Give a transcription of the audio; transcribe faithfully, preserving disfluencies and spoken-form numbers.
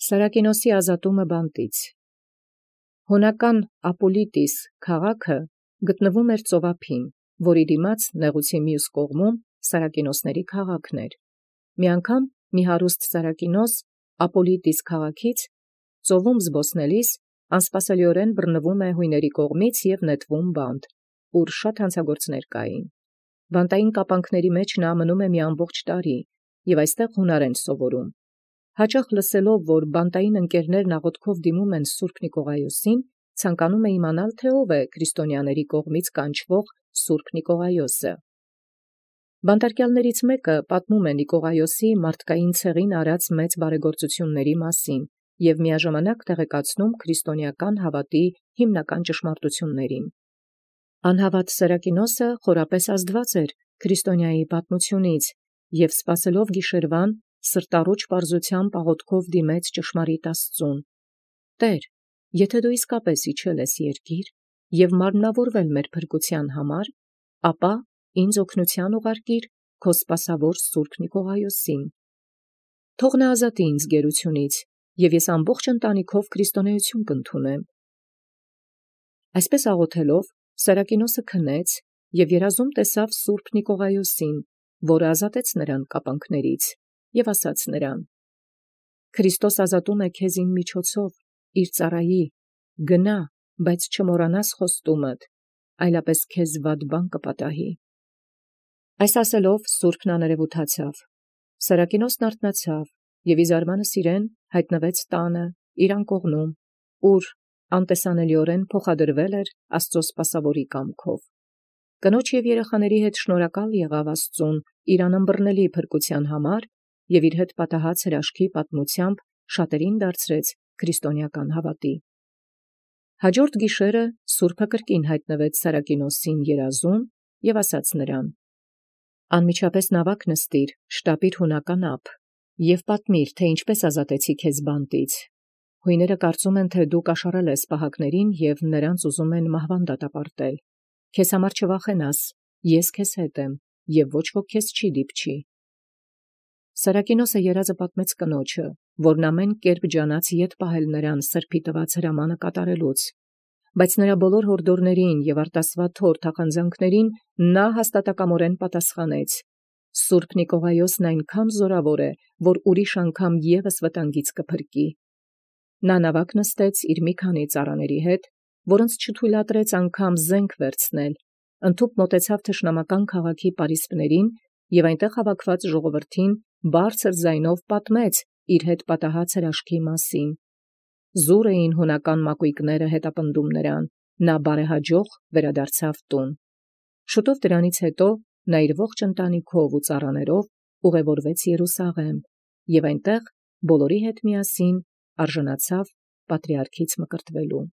Սարակինոսի ազատումը բանտից։ Հունական Ապոլիտիս քաղաքը գտնվում էր ծովափին, որի դիմաց նեղուցի մյուս կողմում Սարակինոսների քաղաքն էր։ Մի անգամ մի հարուստ Սարակինոս Ապոլիտիս քաղաքից ծովում զբոսնելիս անսպասելիորեն բռնվում է հույների կողմից և նետվում բանտ, ուր շատ հանցագործներ կային։ Բանտային կապանքների մեջ նա մնում է մի ամբողջ տարի, և այստեղ հունարեն սովորում։ Հաճախ լսելով, որ բանտային ընկերներն աղոթքով դիմում են Սուրբ Նիկողայոսին, ցանկանում է իմանալ, թե ով է քրիստոնյաների կողմից կանչվող Սուրբ Նիկողայոսը։ Բանտարկյալներից մեկը պատմում է Նիկողայոսի մարդկային ցեղին արած մեծ բարեգործությունների մասին և միաժամանակ տեղեկացնում քրիստոնեական հավատի հիմնական ճշմարտություններին։ Անհավատ Սարակինոսը խորապես ազդված էր քրիստոնյայի պատմությունից և սպասելով գիշերվան սրտառուչ պարզությամբ աղոթքով դիմեց ճշմարիտ Աստծուն. «Տեր, եթե դու իսկապես իջել ես երկիր և մարմնավորվել մեր փրկության համար, ապա ինձ օգնության ուղարկիր քո սպասավոր Սուրբ Նիկողայոսին։ Թող նա ազատի ինձ գերությունից, և ես ամբողջ ընտանիքով քրիստոնեություն կընդունեմ»։ Այսպես աղոթելով Սարակինոսը քնեց և երազում տեսավ Սուրբ Նիկողայոսին, որը ազատեց նրան կապանքներից, և ասաց նրան. «Քրիստոս ազատում է քեզ իմ միջոցով, իր ծառայի, գնա, բայց չմոռանաս խոստումդ, այլապես քեզ վատ բան կպատահի»։ Այս ասելով սուրբն աներևութացավ։ Սարակինոսն արթնացավ և իզարմանս իրեն հայտնվեց տանը իր անկողնում, ուր անտեսանելիորեն փոխադրվել էր Աստծո սպասավորի կամքով։ Կնոջ և երեխաների հետ շնորհակալ եղավ Աստծուն իր անըմբռնելի փրկության համար և իր հետ պատահած հրաշքի պատմությամբ շատերին դարձրեց քրիստոնեական հավատի։ Հաջորդ գիշերը սուրբը կրկին հայտնվեց Սարակինոսին երազում և ասաց նրան. «Անմիջապես նավակ նստիր, շտապիր հունական ափ և պատմիր, թե ինչպես ազատեցի քեզ բանտից։ Հույները կարծում են, թե դու կաշառել ես պահակներին և նրանց ուզում են մահվան դատապարտել։ Քեզ համար չվախենաս, ես քեզ հետ եմ, և ոչ ոք քեզ չի դիպչի»։ Սարակինոսը երազը պատմեց կնոջը, որն ամեն կերպ ջանաց ետ պահել նրան սրբի տված հրամանը կատարելուց։ Բայց նրա բոլոր հորդորներին և արտասվատ հոր թախանձանքներին նա հաստատակամորեն պատասխանեց. «Սուրբ Նիկողայոսն այնքան զորավոր է, որ ուրիշ անգամ ևս վտանգից կփրկի»։ Նա նավակ նստեց իր մի քանի ծառաների հետ, որոնց չթույլատրեց անգամ զենք վերցնել, ընդհուպ մոտեցավ թշնամական քաղաքի պարիսպներին և այնտեղ հավաքված ժողովրդին բարձր ձայնով պատմեց իր հետ պատահած հրաշքի մասին։ Զուր էին հունական մակույկները հետապնդում նրան, նա բարեհաջող վերադարձավ տուն։ Շուտով դրանից հետո նա իր ողջ ընտանիքով ու ծառաներով ուղևորվեց Երուսաղեմ և այնտեղ բոլորի հետ միասին արժանացավ պատրիարքից մկրտվելու։